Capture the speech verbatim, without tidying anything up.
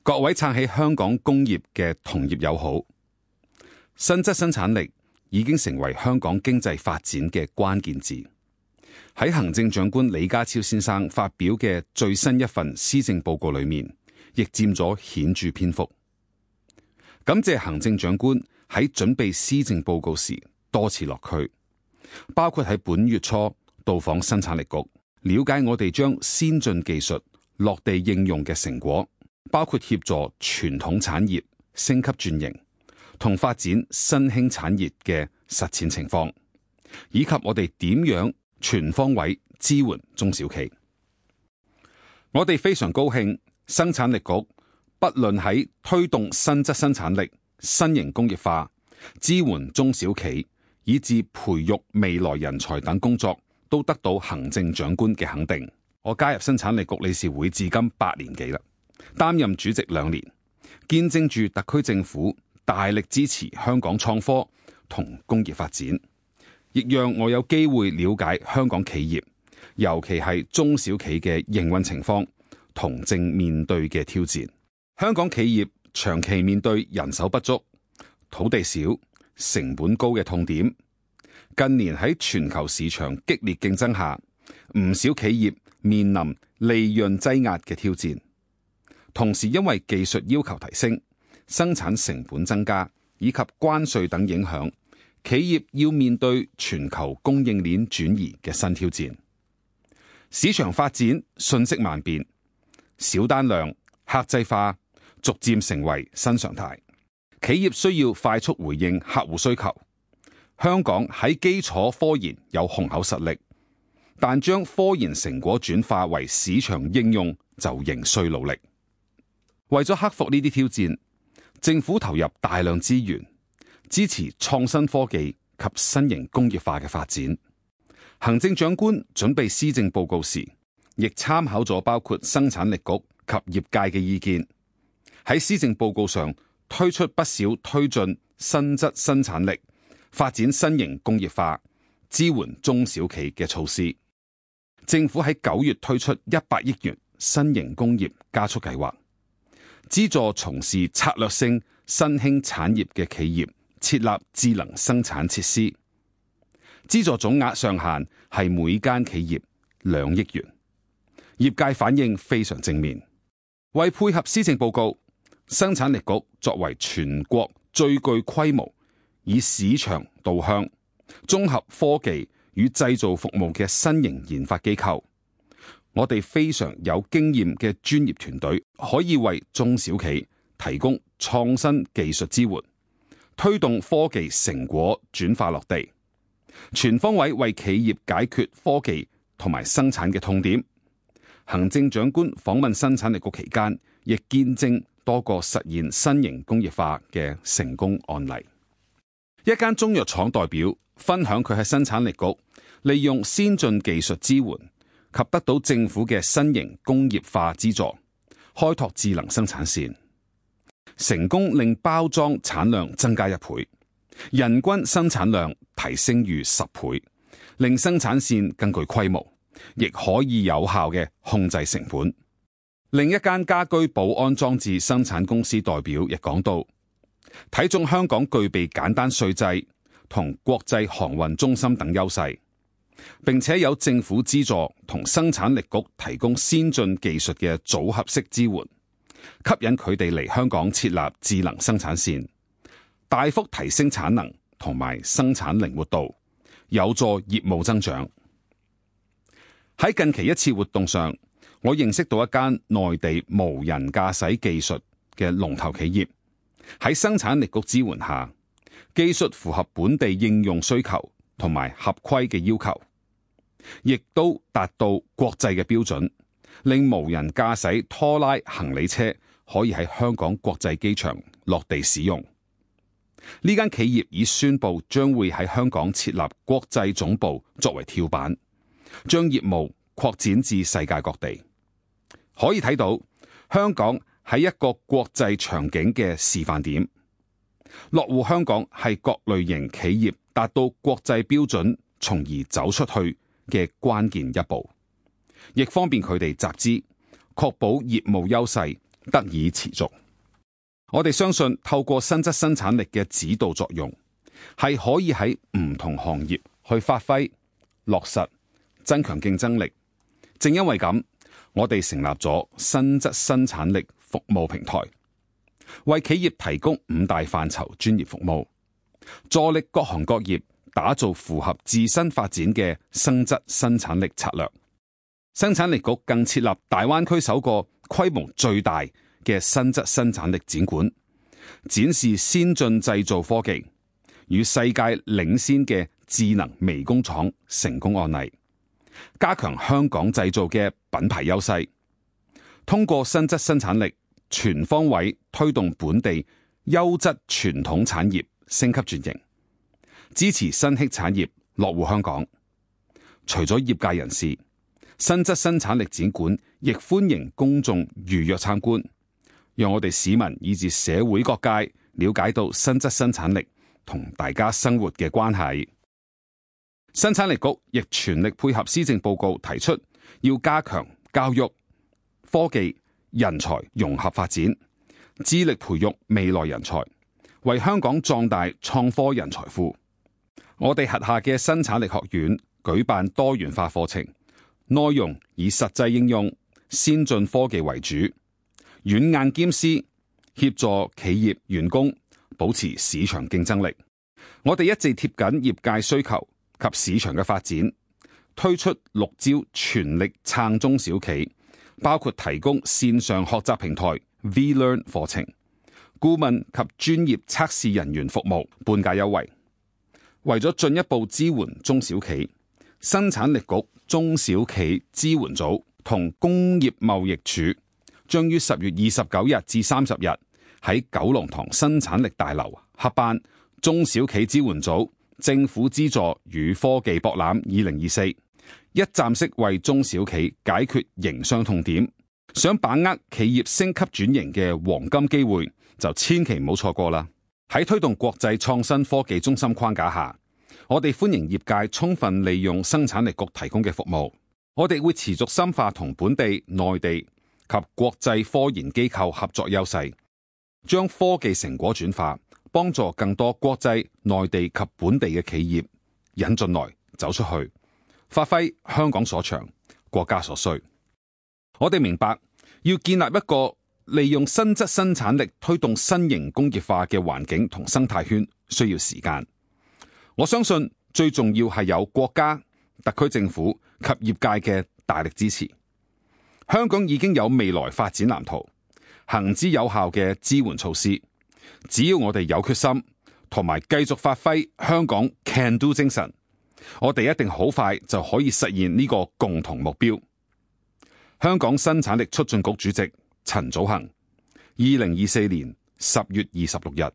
各位撐起香港工業嘅同業友好，新質生產力已經成為香港經濟發展嘅關鍵字。喺行政長官李家超先生發表嘅最新一份施政報告裏面，亦佔咗顯著篇幅。感謝行政長官喺準備施政報告時多次落區，包括喺本月初到訪生產力局，了解我哋將先進技術落地應用嘅成果，包括協助傳統產業升級轉型同發展新興產業嘅實踐情況，以及我哋點樣全方位支援中小企。我哋非常高興，生產力局不論喺推動新質生產力、新型工業化、支援中小企，以至培育未來人才等工作，都得到行政長官嘅肯定。我加入生產力局理事會至今八年幾啦，擔任主席兩年，見證住特區政府大力支持香港創科同工業發展，亦讓我有機會了解香港企業，尤其係中小企嘅營運情況同正面對嘅挑戰。香港企業長期面對人手不足、土地少、成本高嘅痛點。近年喺全球市場激烈競爭下，唔少企業面臨利潤擠壓嘅挑戰。同時因為技術要求提升、生產成本增加以及關稅等影響，企業要面對全球供應鏈轉移嘅新挑戰。市場發展瞬息萬變，小單量、客製化逐漸成為新常態。企業需要快速回應客戶需求。香港喺基礎科研有雄厚實力，但將科研成果轉化為市場應用就仍需努力。為咗克服呢啲挑戰，政府投入大量資源，支持創新科技及新型工業化嘅發展。行政長官準備施政報告時，亦參考咗包括生產力局及業界嘅意見，喺施政報告上推出不少推進新質生產力、發展新型工業化、支援中小企嘅措施。政府喺九月推出一百億元新型工業加速計劃，資助從事策略性新興產業嘅企業設立智能生產設施，資助總額上限係每間企業兩億元。業界反應非常正面。為配合施政報告，生產力局作為全國最具規模、以市場導向、綜合科技與製造服務嘅新型研發機構，我哋非常有經驗嘅專業團隊，可以為中小企提供創新技術支援，推動科技成果轉化落地，全方位為企業解決科技同埋生產嘅痛點。行政長官訪問生產力局期間，亦見證多個實現新型工業化嘅成功案例。一間中藥廠代表分享佢喺生產力局利用先進技術支援及得到政府嘅新型工業化資助，開拓智能生產線，成功令包裝產量增加一倍，人均生產量提升逾十倍，令生產線更具規模，亦可以有效嘅控制成本。另一間家居保安裝置生產公司代表亦講到，睇中香港具備簡單稅制同國際航運中心等優勢，並且有政府資助同生產力局提供先進技術嘅組合式支援，吸引佢哋嚟香港設立智能生產線，大幅提升產能同埋生產靈活度，有助業務增長。喺近期一次活動上，我認識到一間內地無人駕駛技術嘅龍頭企業，喺生產力局支援下，技術符合本地應用需求同埋合規嘅要求，亦都達到國際嘅標準，令無人駕駛拖拉行李車可以喺香港國際機場落地使用。呢間企業已宣布將會喺香港設立國際總部作為跳板，將業務擴展至世界各地。可以睇到香港係一個國際場景嘅示範點，落戶香港係各類型企業達到國際標準從而走出去嘅關鍵一步，亦方便佢哋集資，確保業務優勢得以持續。我哋相信透過新質生產力嘅指導作用，係可以喺唔同行業去發揮、落實、增強競爭力。正因為咁，我哋成立咗新質生產力服務平台，為企業提供五大範疇專業服務，助力各行各業打造符合自身發展嘅新質生產力策略。生產力局更設立大灣區首個規模最大嘅新質生產力展館，展示先進製造科技與世界領先嘅智能微工廠成功案例，加強香港製造嘅品牌優勢，通過新質生產力全方位推動本地優質傳統產業升級轉型，支持新興產業落戶香港。除咗業界人士，新質生產力展館亦歡迎公眾預約參觀，讓我哋市民以至社會各界了解到新質生產力同大家生活嘅關係。生產力局亦全力配合施政報告提出，要加強教育、科技、人才融合發展，致力培育未來人才，為香港壯大創科人才庫。我哋轄下嘅生產力學院舉辦多元化課程，內容以實際應用、先進科技為主，軟硬兼施，協助企業員工保持市場競爭力。我哋一直貼緊業界需求及市場嘅發展，推出六招全力撐中小企，包括提供線上學習平台 V-Learn 課程、顧問及專業測試人員服務半價優惠。為咗進一步支援中小企，生產力局中小企支援組同工業貿易署將於十月二十九日至三十日喺九龍塘生產力大樓合辦中小企支援組政府資助與科技博覽二零二四，一站式為中小企解決營商痛點。想把握企業升級轉型嘅黃金機會，就千祈唔好錯過啦！喺推動國際創新科技中心框架下，我哋歡迎業界充分利用生產力局提供嘅服務。我哋會持續深化同本地、內地及國際科研機構合作優勢，將科技成果轉化，幫助更多國際、內地及本地嘅企業引進來、走出去，發揮香港所長、國家所需。我哋明白，要建立一個利用新質生產力推動新型工業化嘅環境同生態圈，需要時間。我相信最重要係有國家、特區政府及業界嘅大力支持。香港已經有未來發展藍圖，行之有效嘅支援措施。只要我哋有決心，同埋繼續發揮香港 Can Do 精神，我哋一定好快就可以實現呢個共同目標。香港生產力促進局主席陳祖恒，二零二四年十月二十六日。